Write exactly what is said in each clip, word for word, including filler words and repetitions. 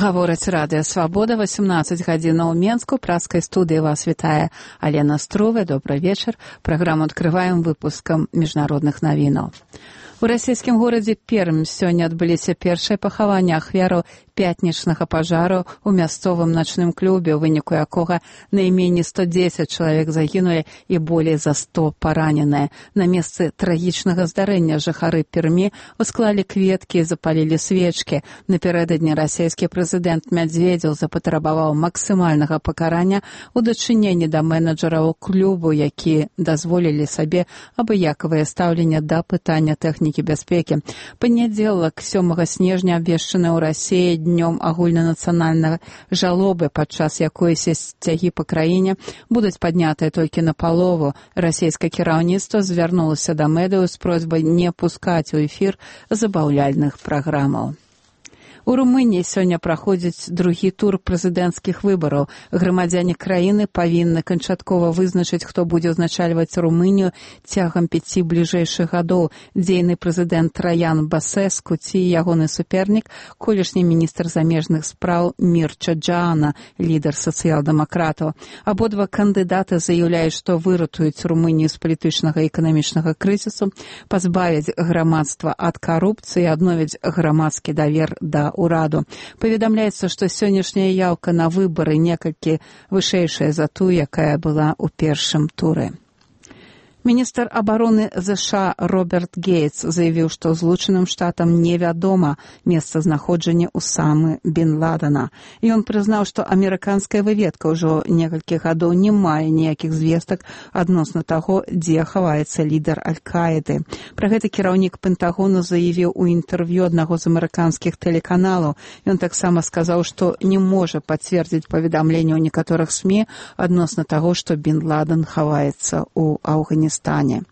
Гаворыць радыё «Свабода», восемнадцать гадзінаў у Менску. Праскай студыі вас вітае Алена Струве. Добрый вечер. Праграму адкрываем выпускам міжнародных навінаў. У расійскім горадзе Пермь сёння адбыліся першыя пахаванні ахвяраў пятнічнага пажару ў мясцовым начным клубе, у выніку якога найменей сто дзесяць чалавек загінулі і болей за сто параненыя. На месцы трагічнага здарэння жыхары Пермі усклалі кветкі і запалілі свечкі. Напярэдадні расійскі прэзідэнт Мядзведзеў запатрабаваў максімальнага пакарання ў дачыненні да менеджараў клубу, які дазволілі сабе абыякавае стаўленне да пытання тэхнікі бяспекі. Панядзелак сёмага снежня абвешчаны ў Расіі днём агульнанацыянальнай жалобы, падчас якой сцягі па краіне будуць паднятыя толькі напалову. Расійскае кіраўніцтва звярнулася да медыяў з просьбай не пускаць у эфір забаўляльных праграмаў. У Румыніі сёння праходзіць другі тур прэзідэнцкіх выбараў. Грамадзяне краіны павінны канчаткова вызначыць, хто будзе ўзначальваць Румынію цягам пяці бліжэйшых гадоў. Дзейны прэзідэнт Траян Басэску ці ягоны супернік, колішні міністр замежных спраў Мірча Джаана, лідар сацыял-дэмакратаў. Абодва кандыдаты заяўляюць, што выратуюць Румынію з палітычнага і эканамічнага крызісу, пазбавяць грамадства ад карупцыі, адновяць грамадскі давер да ураду. Паведамляецца, што сённяшняя яўка на выбары некалькі вышэйшая за тую, якая была ў першым туры. Міністр абароны ЗША Роберт Гейтс заявіў, што Злучаным Штатам невядома месцазнаходжанне Усамы бен Ладена. Ён прызнаў, што амерыканская выведка ўжо некалькі гадоў не мае ніякіх звестак адносна таго, дзе хаваецца лідар Аль-Каіды. Пра гэта кіраўнік Пентагону заявіў у інтэрв'ю аднаго з амерыканскіх тэлеканалаў. Ён таксама сказаў, што не можа пацвердзіць паведамленняў некаторых СМІ адносна таго, што бен Ладен хаваецца ў Афганістане. Стане.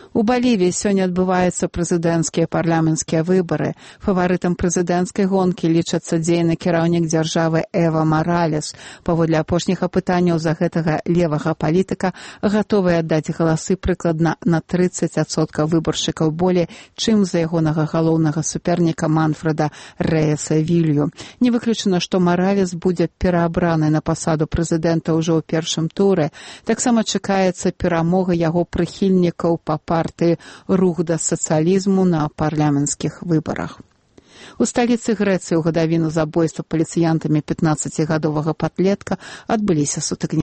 У Балівіі сёння адбываюцца прэзідэнцкія парламенцкія выбары. Фаварытам прэзідэнцкай гонкі лічацца дзейны кіраўнік дзяржавы Эва Маралес. Паводле апошніх апытанняў за гэтага левага палітыка гатовыя аддаць галасы прыкладна на трыццаць адсоткаў выбаршчыкаў болей, чым за ягонага галоўнага суперніка Манфреда Рэяса Вілью. Не выключана, што Маралес будзе пераабраны на пасаду прэзідэнта ўжо ў першым туры. Таксама чакаецца перамога яго прыхільнікаў па партыі «Рух да сацыялізму» на парламенцкіх выбарах. У сталіцы Грэцыі ў гадавіну забойства паліцыянтамі пятнаццацігадовага падлетка адбыліся сутыкненні.